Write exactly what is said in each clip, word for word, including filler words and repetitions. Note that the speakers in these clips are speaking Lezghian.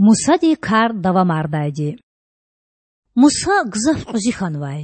Мусадин кар давамардайди. Муса гзаф кьуьзуь хьанвай.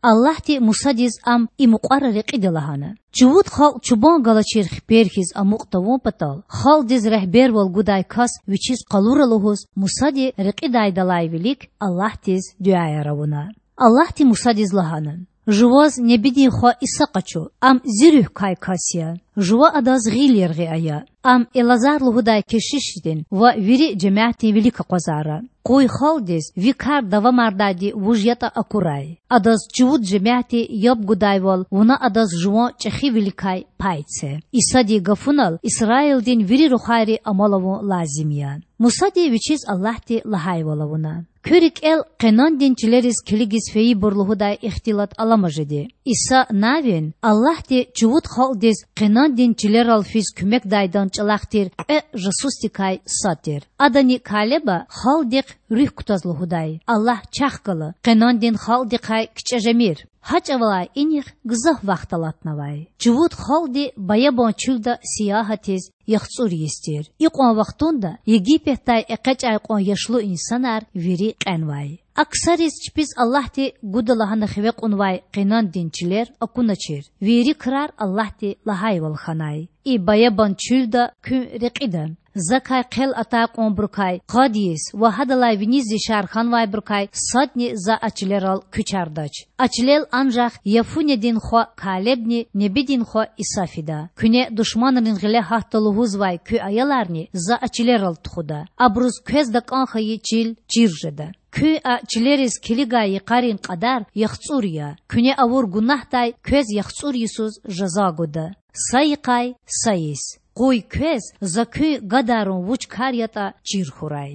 Аллагьди Мусадиз ам и мукьвара рекьида лагьана: Чувуд халкь чубан галачир хипер хьиз амукь тавун патал, халкьдиз регьбервал гудай кас вичиз къалура лугьуз, Мусади рекьидайдалай вилик Аллагьдиз дуьаяр авуна. Аллагьди Мусадиз лагьана: Жуваз небидин хва Иса къачу, ам Зи Руьгь квай кас я. Жува адаз гъил яргъи ая. Ам Элазар лугьудай кешишдин ва вири жемятдин вилик акъвазара. Къуй халкьдиз ви кар давамардайди вуж ятӀа акурай. Адаз чувуд жемятди яб гудайвал, вуна адаз жуван чӀехивиликай пай це. Исадин гафунал Исраилдин вири рухвайри амал авун лазим я. Мусади вичиз Аллагьди лагьайвал авуна. Куь рикӀел Къенандин чилериз килигиз фейибур лугьудай ихтилат алама жеди. Иса Навин Аллагьди чувуд халкьдиз Къенандин чилерал физ куьмекдайдан чӀалахъ тир кьве жасусдикай сад тир. Адани Калеба халкьдихъ руьгь кутаз лугьудай: Аллагь чахъ гала, Къенандин халкьдихъай кичӀе жемир. Гьа чӀавалай инихъ гзаф вахт алатнавай. Чувуд халкьди баябан чуьлда сиягьатиз яхцӀур йис тир. Икьван вахтунда Египетдай экъечӀай кьван яшлу инсанар вири кьенвай. А ксариз чпиз Аллагьди гуда лагьана хиве кьунвай Къенандин чилер акуначир. Вири крар Аллагьди лагьайвал хьанай: И баябан чуьлда куьн рекьида. Закай хъел атай кьванбурукай къад йис ва гьадалай виниз яшар хьанвайбурукай садни За а чилерал куьчардач. А чилел анжах Яфунедин хва Калебни небидин хва Иса фида. Куьне душманрин гъиле гьатда лугьузвай куь аяларни За а чилерал тухуда. Абуруз квез такӀан хьайи чил чир жеда. Куьн а чилериз килигай йикъарин кьадар яхцӀур я. Куьне авур гунагьдай квез яхцӀур йисуз жаза гуда. Са йикъай са йис. Къуй квез За куьн гадарун вуч кар ятӀа чир хьурай.